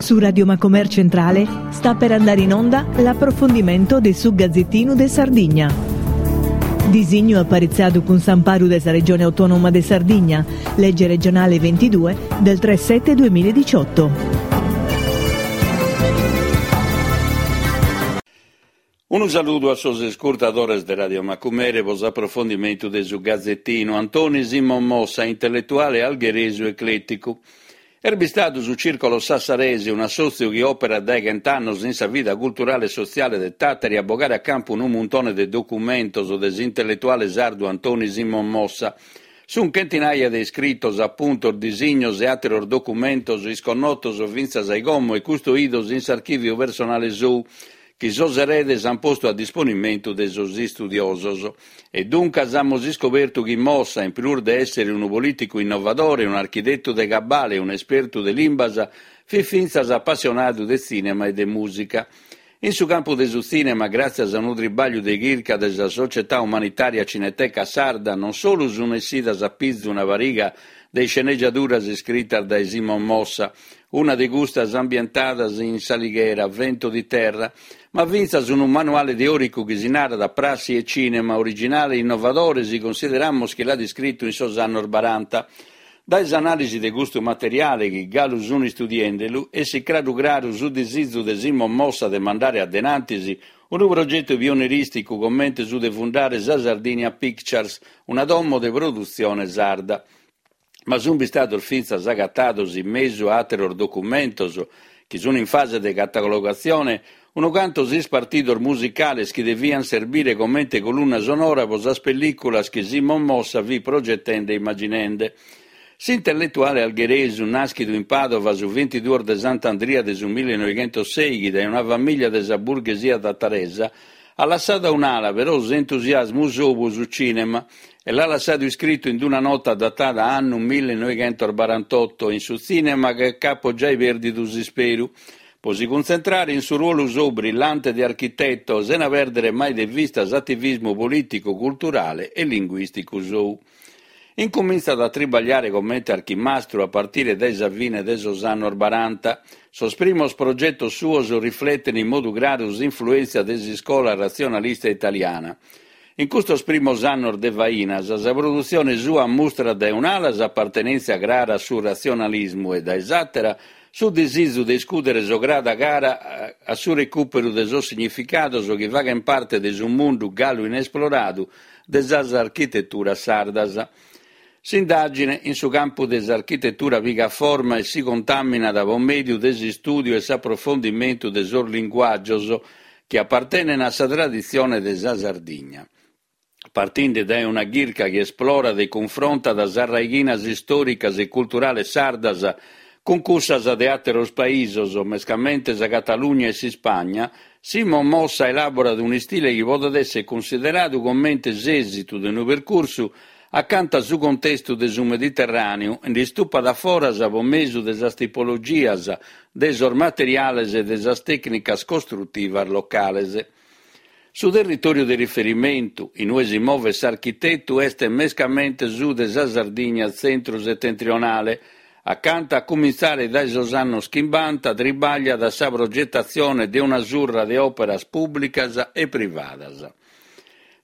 Su Radio Macomer Centrale sta per andare in onda l'approfondimento de su Gazzettinu de Sardigna. Disignu aparitzadu cun s'amparu de sa Regione Autonoma de Sardigna, lege regionale 22 del 3 7 2018. Unu saludu a sos iscurtadores de Radio Macumere pro s'aprofondimentu de su Gazetinu. Antoni Simon Mossa, intelletuale algheresu eclèticu. Est bistadu su Circolo Sassarese, un'assòtziu chi òperat dae chent'annos in sa vida culturale e sotziale de Tàtari a bogare a campu unu muntone de documentos de s'intelletuale sardu Antoni Simon Mossa. Sunt chentinaia de iscritos, apuntos, disignos e àteros documentos isconnotos fintzas a como e custoidos in s'archìviu personale sou, chi sos eredes ant postu a disponimentu de sos istudiosos. E duncas amus iscobertu chi Mossa, in prus de èssere unu polìticu innovadore, un'architetu de cabale e un'espertu de limbas, fit fintzas apassionadu de tzìnema e de mùsica. In su campu de su tzìnema, gràtzias a unu tribàgliu de chirca de sa Società Umanitaria Cineteca Sarda, non solu sunt essidas a pizu una pariga de iscenegiaduras iscritas dae Simon Mossa, una de custas ambientadas in S'Alighera, Vento di terra, ma fintzas unu manuale teòricu chi si narat Prassi e Cinema, originale e innovadore si consideramus chi l'at iscritu in sos annos baranta. Dae s'anàlisi de custu materiale, chi galu sun istudiende-lu, essit craru craru su disizu de Simon Mossa de mandare a denantis unu progetu pionerìsticu comente su de fundare sa Sardinia Pictures, una domo de produtzione sarda. Ma sunt bistados fintzas agatados in mesu a àteros documentos chi sunt in fase de catalogatzione unu cantos ispartidos musicales chi deviant serbire comente colunna sonora pro sas pellìculas chi Simon Mossa fit progetende e immaginende. S'intelletuale algheresu, nàschidu in Pàdova su bintiduos de Sant'Andria de su millenoighentossèighi dae una famìllia de sa burghesia tataresa, At lassadu a un'ala però s'entusiasmu sou pro su cìnema e l'at lassadu iscritu in una nota datada annu millenoighentosbarantotto, In su tzìnema che ch'apo giai pèrdidu s'isperu, pro si cuntzentrare in su ruolu sou brillante de architeto, sena pèrdere mai de vista s'ativismu polìticu, culturale e linguìsticu sou. Incumintzat a tribagliare comente archimastru a partire dae sa fine de sos annos baranta. Sos primos progetos suos rifleten in modu craru s'influèntzia de s'iscola ratzionalista italiana. In custos primos annos de fainas, sa produtzione sua mustrat dae un'ala s'apartenèntzia crara a su ratzionalismu e dae s'àtera su disizu de iscùdere s'ograda cara a su recùperu de sos significados chi faghent parte de su mundu galu inesploradu de sas architeturas sardas. S'indàgine in su campu de s'architetura pigat forma e si contàminat pro mèdiu de s'istùdiu e s'aprofondimentu de sos linguàgios chi apartenen a sa traditzione de sa Sardigna. Partinde dae una chirca chi esplorat e cunfrontat sas raighinas istòricas e culturales sardas cun cussas de àteros paisos, mescamente sa Catalugna e s'Ispagna, Simon Mossa elàborat un'istile chi podet èssere cunsideradu comente s'èsitu de unu percursu acanta su contestu de su Mediterràneu nd'istupat a foras pro mesu de sas tipologias, de sos materiales e de sas tècnicas costrutivas locales. Su territòriu de riferimentu, in ue si movet s'architetu, est mescamente su de sa Sardigna tzentru-setentrionale, acanta a cumintzare dae sos annos chimbanta tribagliat a sa progetatzione de una surra de òperas pùblicas e privadas.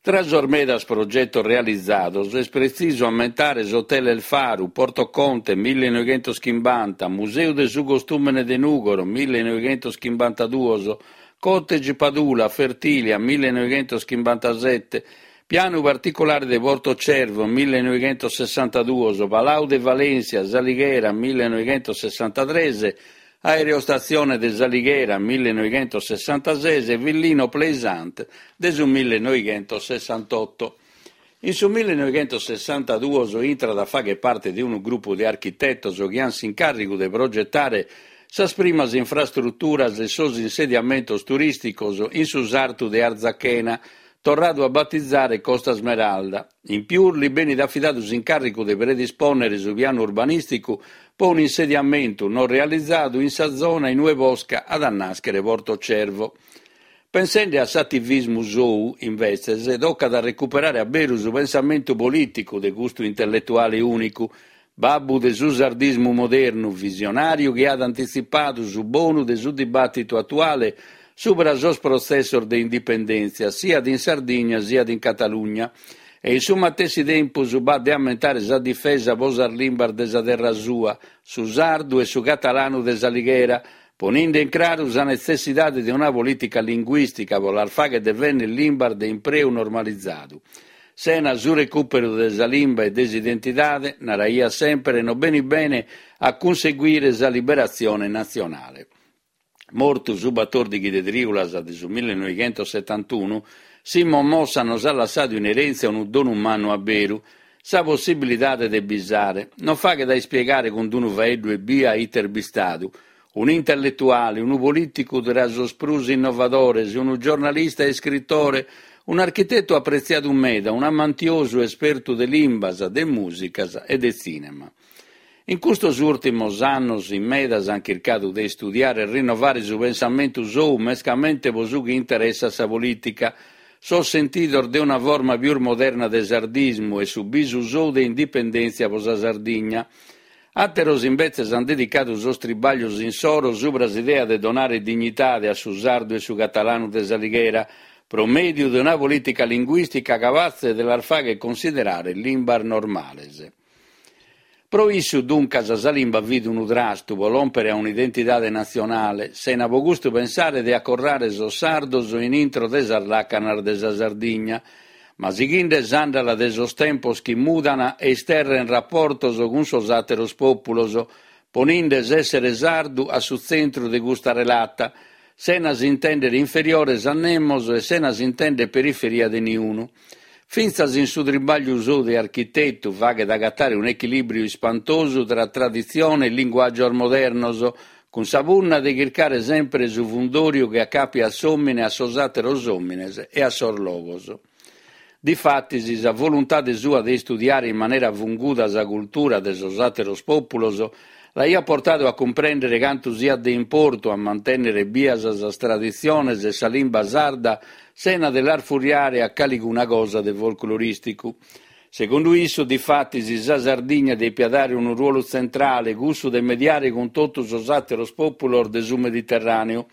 Tra sos medas progetos realizados est pretzisu ammentare s'Hotel El Faru, Porto Conte, millenoighentoschimbanta, Museu de su Costùmene de Nùgoro, millenoighentoschimbantaduos, Cottage Padula, Fertilia, millenoighentoschimbantasete, Pianu particulare de Porto Cervo, millenoighentosessantaduos, Palau de València, S'Alighera, millenoighentosessantatres, Aerostatzione de S'Alighera, millenoighentosessantases e Villino Plaisant de su millenoighentosessantotto. In su millenoighentosessantaduos intrat a fagher parte de unu grupu de architetos chi ant s'incàrrigu de progetare sas primas infrastruturas e sos insediamentos turìsticos in su sartu de Arzachena, torradu a batizare Costa Smeralda. In pius li benit afidadu s'incàrrigu de predispònnere su pianu urbanìsticu pro un'insediamentu non realizadu in sa zona in ue posca at a nàschere Porto Cervo. Pensende a s'ativismu sou, imbetzes, tocat a recuperare a beru su pensamentu polìticu de custu intelletuale ùnicu. Babbu de su sardismu modernu, visionàriu chi at antitzipadu su bonu de su dibàtitu atuale subra sos protzessos de indipendèntzia siat in Sardigna siat in Catalugna. E in su matessi tempus b'at de ammentare sa difesa pro sas limbas de sa terra sua, su sardu e su catalanu de S'Alighera, poninde in craru sa netzessidade de una polìtica linguìstica pro las fàghere devènnere limbas de impreu normalizadu. Sena su recùperu de sa limba e de s'identidade, naraiat semper, no benit bene a cunseguire sa liberatzione natzionale. Mortu su batòrdighi de trìulas de su millenoighentosetantunu, Simon Mossa nos at lassadu in erèntzia unu donu mannu a beru, sa possibilidade de bisare. Non faghet a ispiegare cun unu faeddu ebbia ite est bistadu. Un'intelletuale, unu polìticu tra sos prus innovadores, unu giornalista e iscritore, un'architetu apretziadu meda, un'amantiosu espertu de limbas, de mùsicas e de tzìnema. In custos ùrtimos annos in medas ant chircadu de istudiare e rinnovare su pensamentu sou mescamente pro su chi interessat sa polìtica, sos sentidos de una forma pius moderna de sardismu e su bisu sou de indipendèntzia pro sa Sardigna. Àteros imbetzes ant dedicadu sos tribàglios insoro subra s'idea de donare dignidade a su sardu e su catalanu de S'Alighera pro mèdiu de una polìtica linguìstica capatze de las fàghere considerare limbas normales. Pro issu, duncas, sa limba fit unu trastu pro lòmpere a un'identidade natzionale, sena pro custu pensare de acorrare sos sardos in intro de sas làcanas de sa Sardigna, ma sighinde s'àndala de sos tempos chi mudan e isterren raportos cun sos àteros pòpulos, poninde s'èssere sardu a su tzentru de custa relata, sena s'intèndere inferiores a nemos e sena s'intèndere periferia de niunu. Fintzas in su tribàgliu sou de architetu faghet agatare un'echilìbriu ispantosu tra traditzione e linguàgios modernos, cun sa punna de chircare semper su fundòriu chi acàpiat s'òmine a sos àteros òmines e a sos logos. Difatis, sa voluntade sua de istudiare in manera funguda sa cultura de sos àteros pòpulos l'aiat portadu a cumprèndere cantu siat de importu a mantènnere bias sas traditziones e sa limba sarda sena de las furriare a calicuna cosa de folclorìsticu. Segundu issu, difatis, sa Sardigna depiat dare unu ruolu tzentrale, cussu de mediare cun totu sos àteros pòpulos de su Mediterràneu.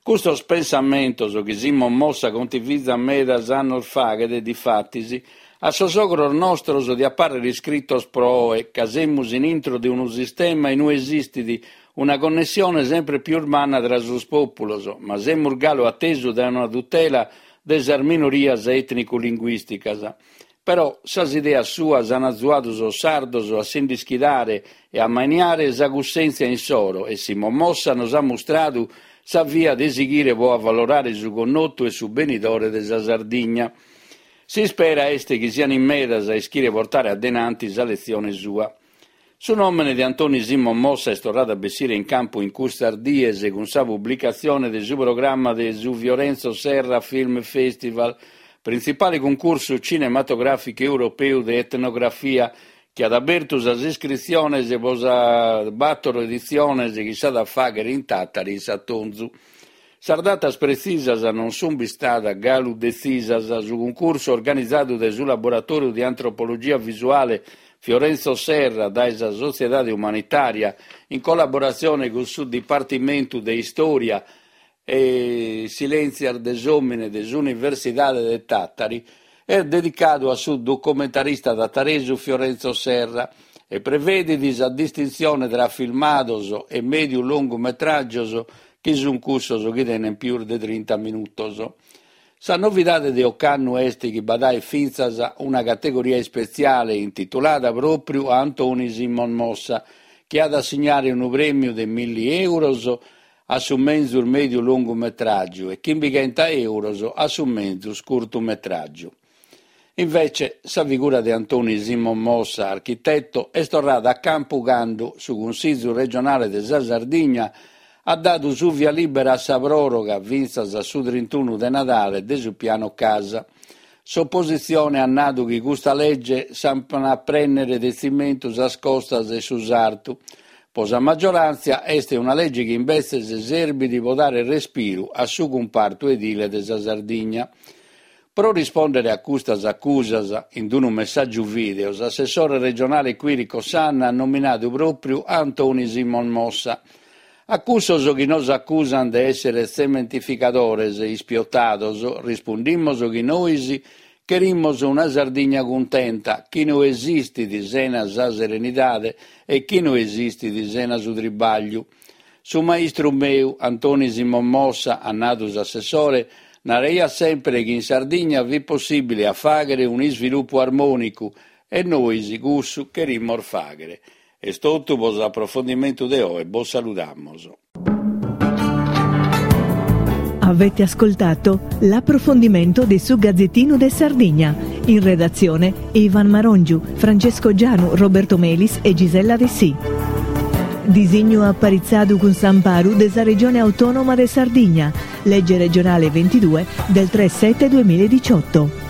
Custos pensamentos chi Simon Mossa contivizat medas annos faghet, difatis, a sos ogros nostros diat pàrrere iscritos pro oe, ca semus in intro de unu sistema in ue esistit una connessione sempre pius manna tra sos pòpulos, ma semus galu a tesu dae una tutela de sas minorias ètnicu-linguìsticas. Però sas ideas suas an azuadu sos sardos a si nd'ischidare e a ammaniare sa cussèntzia insoro e Simon Mossa nos at mustradu sa via de sighire pro avalorare su connotu e su benidore de sa Sardigna. S'ispera est chi sian in medas a ischire portare a denanti sa letzione sua. Su nòmene de Antoni Simon Mossa est torradu a bessire in campu in custas dies cun sa publicatzione de su programma de su Fiorenzo Serra Film Festival, printzipale cuncursu cinematogràficu europeu de etnografia, chi at abertu sas iscritziones pro sas bàtoro editziones chi s'at a fàghere in Tàtari in s'atonzu. Sas datas pretzisas non sunt bistadas galu detzisas. Su cuncursu organizadu dae su Laboratòriu de Antropologia Visuale Fiorenzo Serra dae sa Sotziedade Umanitària in collaboratzione cun su Dipartimentu de Istòria e Sièntzias de s'Òmine de s'Universidade de Tàtari est dedicadu a su documentarista tataresu Fiorenzo Serra e prevedit sa distintzione tra filmados e mèdiu-longumetràgios chi sunt cussos chi tenent pius de trinta minutos. Sa novidade de ocannu est chi b'at aer fintzas una categoria ispetziale intitulada pròpriu a Antoni Simon Mossa, chi at a assignare unu prèmiu de milli èuros a su menzus mèdiu longumetràgiu e chimbighenta èuros a su menzus curtumetràgiu. Invece, sa figura de Antoni Simon Mossa, architeto, est torrada a campu cando su Cunsìgiu regionale de sa Sardigna at dadu su via lìbera a sa pròroga fintzas a su trintunu de Nadale de su Piano Casa. S'opositzione at nadu chi custa lege s'ant a prènnere de tzimentu sas costas e su sartu. Pro sa magioràntzia est una lege chi imbetzes serbit pro dare respiru a su cumpartu edile de sa Sardigna. Pro rispòndere a custas acusas, in unu messàgiu vìdeo, s'assessore regionale Quirico Sanna at nominadu pròpriu a Antoni Simon Mossa. A cussos chi nos acusant de èssere tzementificadores ispiotados, rispundimos chi nois cherimos una Sardigna cuntenta, chi no esistit sena sa serenidade e chi no esistit sena su tribagliu. Su maistru meu, Antoni Simon Mossa, at nadu s'assessore, naraiat semper chi in Sardigna fit possìbile a fàghere un'isvilupu armònicu e nois cussu cherimos fàghere. Est totu pro s'aprofondimentu de oe, bos saludamos. Avete ascoltato l'approfondimento de su Gazzettino de Sardigna. In redazione Ivan Marongiu, Francesco Gianu, Roberto Melis e Gisella Dessì. Disignu aparitzadu cun s'amparu de sa Regione Autonoma de Sardigna, legge regionale 22 del 3 7 2018.